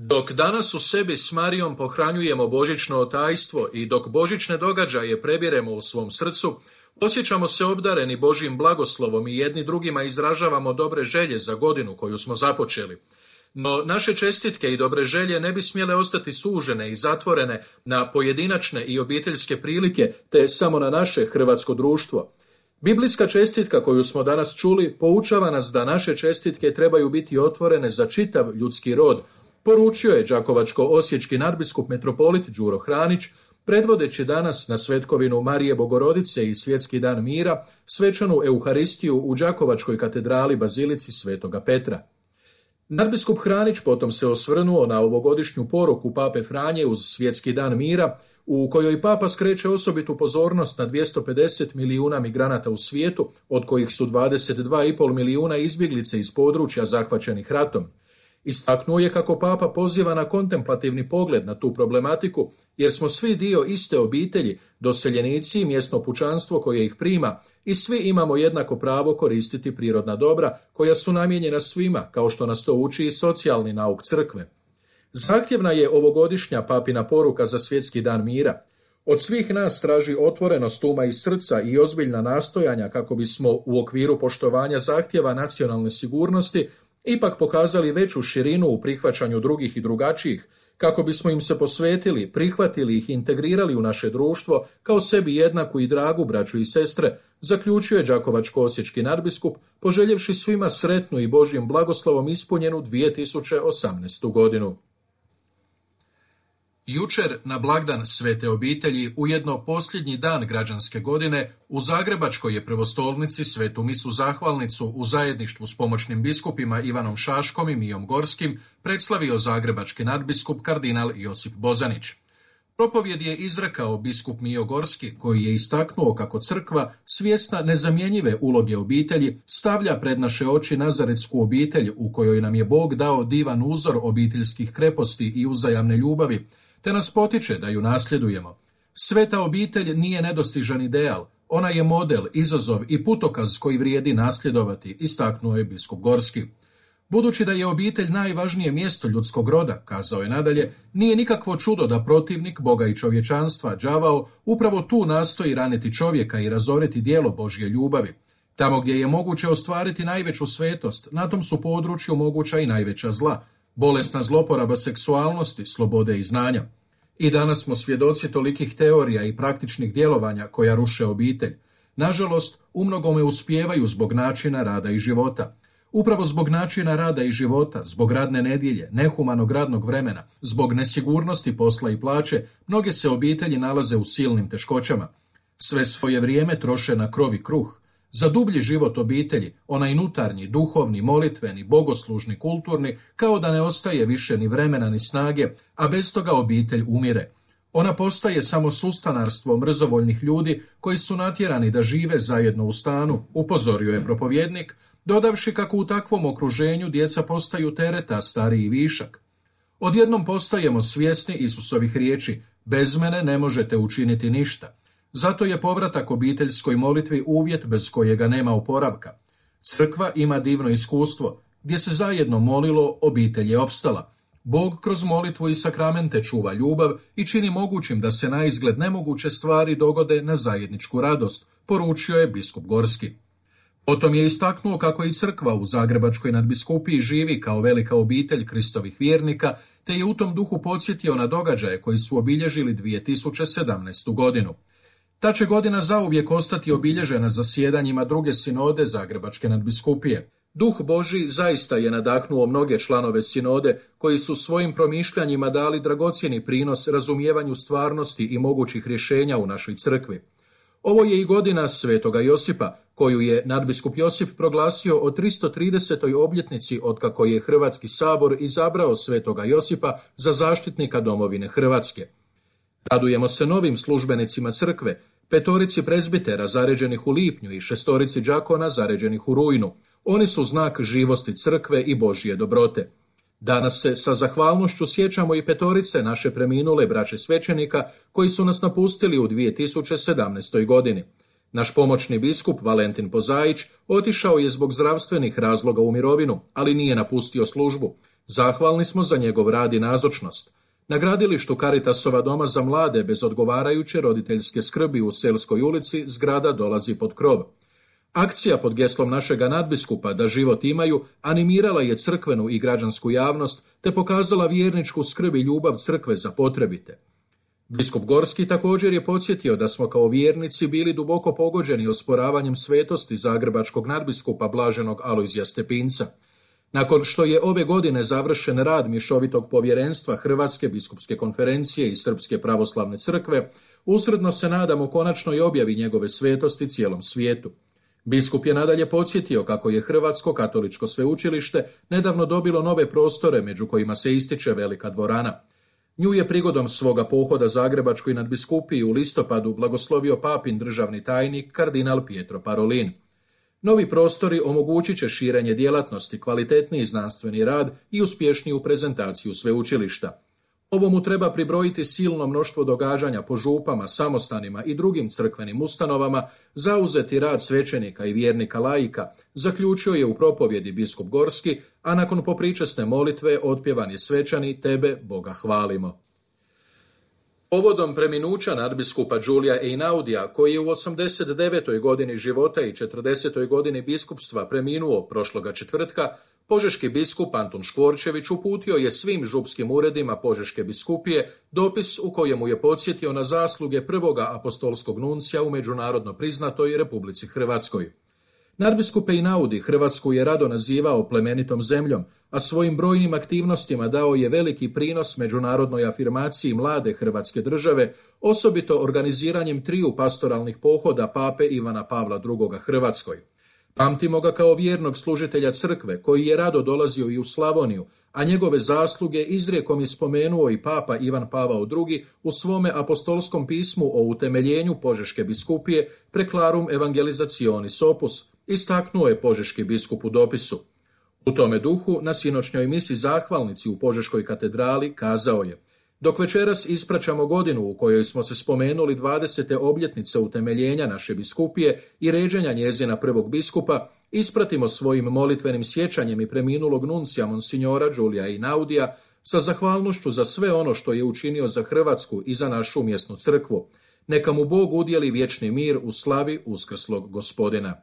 Dok danas u sebi s Marijom pohranjujemo božićno tajstvo i dok božićne događaje prebiremo u svom srcu, osjećamo se obdareni Božjim blagoslovom i jedni drugima izražavamo dobre želje za godinu koju smo započeli. No naše čestitke i dobre želje ne bi smjele ostati sužene i zatvorene na pojedinačne i obiteljske prilike, te samo na naše hrvatsko društvo. Biblijska čestitka koju smo danas čuli poučava nas da naše čestitke trebaju biti otvorene za čitav ljudski rod, poručio je đakovačko-osječki nadbiskup metropolit Đuro Hranić, predvodeći danas na svetkovinu Marije Bogorodice i Svjetski dan mira, svečanu Euharistiju u Đakovačkoj katedrali Bazilici Svetoga Petra. Nadbiskup Hranić potom se osvrnuo na ovogodišnju poruku Pape Franje uz Svjetski dan mira, u kojoj Papa skreće osobitu pozornost na 250 milijuna migranata u svijetu, od kojih su 22,5 milijuna izbjeglice iz područja zahvaćenih ratom. Istaknuo je kako Papa poziva na kontemplativni pogled na tu problematiku, jer smo svi dio iste obitelji, doseljenici i mjesno pučanstvo koje ih prima, i svi imamo jednako pravo koristiti prirodna dobra koja su namijenjena svima, kao što nas to uči i socijalni nauk crkve. Zahtjevna je ovogodišnja papina poruka za Svjetski dan mira. Od svih nas traži otvorenost uma i srca i ozbiljna nastojanja kako bismo u okviru poštovanja zahtjeva nacionalne sigurnosti ipak pokazali veću širinu u prihvaćanju drugih i drugačijih, kako bismo im se posvetili, prihvatili ih, integrirali u naše društvo kao sebi jednaku i dragu braću i sestre, zaključio je đakovačko-osječki nadbiskup, poželjevši svima sretnu i Božjim blagoslovom ispunjenu 2018. godinu. Jučer, na blagdan Svete obitelji, ujedno posljednji dan građanske godine, u Zagrebačkoj je prvostolnici svetu misu zahvalnicu u zajedništvu s pomoćnim biskupima Ivanom Šaškom i Mijom Gorskim predslavio zagrebački nadbiskup kardinal Josip Bozanić. Propovjed je izrekao biskup Mijo Gorski, koji je istaknuo kako crkva, svjesna nezamjenjive uloge obitelji, stavlja pred naše oči nazaretsku obitelj u kojoj nam je Bog dao divan uzor obiteljskih kreposti i uzajamne ljubavi, te nas potiče da ju nasljedujemo. Sveta obitelj nije nedostižan ideal, ona je model, izazov i putokaz koji vrijedi nasljedovati, istaknuo je biskup Gorski. Budući da je obitelj najvažnije mjesto ljudskog roda, kazao je nadalje, nije nikakvo čudo da protivnik Boga i čovječanstva, đavao, upravo tu nastoji raniti čovjeka i razoriti djelo Božje ljubavi. Tamo gdje je moguće ostvariti najveću svetost, na tom su području moguća i najveća zla, bolesna zloporaba seksualnosti, slobode i znanja. I danas smo svjedoci tolikih teorija i praktičnih djelovanja koja ruše obitelj. Nažalost, umnogome uspijevaju zbog načina rada i života. Upravo zbog načina rada i života, zbog radne nedjelje, nehumanog radnog vremena, zbog nesigurnosti posla i plaće, mnoge se obitelji nalaze u silnim teškoćama. Sve svoje vrijeme troše na krov i kruh. Za dublji život obitelji, onaj unutarnji, duhovni, molitveni, bogoslužni, kulturni, kao da ne ostaje više ni vremena ni snage, a bez toga obitelj umire. Ona postaje samo sustanarstvo mrzovoljnih ljudi koji su natjerani da žive zajedno u stanu, upozorio je propovjednik, dodavši kako u takvom okruženju djeca postaju tereta, stariji višak. Odjednom postajemo svjesni Isusovih riječi, bez mene ne možete učiniti ništa. Zato je povratak obiteljskoj molitvi uvjet bez kojega nema oporavka. Crkva ima divno iskustvo. Gdje se zajedno molilo, obitelj je opstala. Bog kroz molitvu i sakramente čuva ljubav i čini mogućim da se naizgled nemoguće stvari dogode na zajedničku radost, poručio je biskup Gorski. Potom je istaknuo kako i crkva u Zagrebačkoj nadbiskupiji živi kao velika obitelj Kristovih vjernika, te je u tom duhu podsjetio na događaje koji su obilježili 2017. godinu. Ta će godina zauvijek ostati obilježena zasjedanjima druge sinode Zagrebačke nadbiskupije. Duh Božji zaista je nadahnuo mnoge članove sinode koji su svojim promišljanjima dali dragocjeni prinos razumijevanju stvarnosti i mogućih rješenja u našoj crkvi. Ovo je i godina Svetoga Josipa, koju je nadbiskup Josip proglasio o 330. obljetnici otkako je Hrvatski sabor izabrao Svetoga Josipa za zaštitnika domovine Hrvatske. Radujemo se novim službenicima crkve, 5 prezbitera zaređenih u lipnju i 6 đakona zaređenih u rujnu. Oni su znak živosti crkve i Božje dobrote. Danas se sa zahvalnošću sjećamo i 5 naše preminule braće svećenika koji su nas napustili u 2017. godini. Naš pomoćni biskup Valentin Pozajić otišao je zbog zdravstvenih razloga u mirovinu, ali nije napustio službu. Zahvalni smo za njegov rad i nazočnost. Na gradilištu Caritasova doma za mlade bez odgovarajuće roditeljske skrbi u Selskoj ulici zgrada dolazi pod krov. Akcija pod geslom našega nadbiskupa Da život imaju animirala je crkvenu i građansku javnost te pokazala vjerničku skrb i ljubav crkve za potrebite. Biskup Gorski također je podsjetio da smo kao vjernici bili duboko pogođeni osporavanjem svetosti zagrebačkog nadbiskupa blaženog Alojzija Stepinca. Nakon što je ove godine završen rad Mješovitog povjerenstva Hrvatske biskupske konferencije i Srpske pravoslavne crkve, usredno se nadamo konačnoj objavi njegove svetosti cijelom svijetu. Biskup je nadalje podsjetio kako je Hrvatsko katoličko sveučilište nedavno dobilo nove prostore među kojima se ističe velika dvorana. Nju je prigodom svoga pohoda Zagrebačkoj nadbiskupiji u listopadu blagoslovio papin državni tajnik kardinal Pietro Parolin. Novi prostori omogućit će širenje djelatnosti, kvalitetniji znanstveni rad i uspješniju prezentaciju sveučilišta. Ovomu treba pribrojiti silno mnoštvo događanja po župama, samostanima i drugim crkvenim ustanovama, zauzeti rad svećenika i vjernika laika, zaključio je u propovjedi biskup Gorski, a nakon popričasne molitve otpjevan je svečani Tebe, Boga hvalimo. Povodom preminuća nadbiskupa Giulia Einaudija, koji je u 89. godini života i 40. godini biskupstva preminuo prošloga četvrtka, požeški biskup Antun Škvorčević uputio je svim župskim uredima Požeške biskupije dopis u kojemu je podsjetio na zasluge prvoga apostolskog nuncija u međunarodno priznatoj Republici Hrvatskoj. Nadbiskup Einaudi Hrvatsku je rado nazivao plemenitom zemljom, a svojim brojnim aktivnostima dao je veliki prinos međunarodnoj afirmaciji mlade Hrvatske države, osobito organiziranjem 3 pastoralnih pohoda pape Ivana Pavla II. Hrvatskoj. Pamtimo ga kao vjernog služitelja crkve, koji je rado dolazio i u Slavoniju, a njegove zasluge izrijekom je spomenuo i papa Ivan Pavao II. U svome apostolskom pismu o utemeljenju Požeške biskupije Preclarum Evangelizationis Opus, istaknuo je požeški biskup u dopisu. U tome duhu, na sinoćnjoj misi zahvalnici u Požeškoj katedrali kazao je: dok večeras ispraćamo godinu u kojoj smo se spomenuli 20. obljetnice utemeljenja naše biskupije i ređenja njezina prvog biskupa, ispratimo svojim molitvenim sjećanjem i preminulog nuncija monsignora Giulia Einaudija sa zahvalnošću za sve ono što je učinio za Hrvatsku i za našu mjesnu crkvu. Neka mu Bog udjeli vječni mir u slavi uskrslog Gospodina.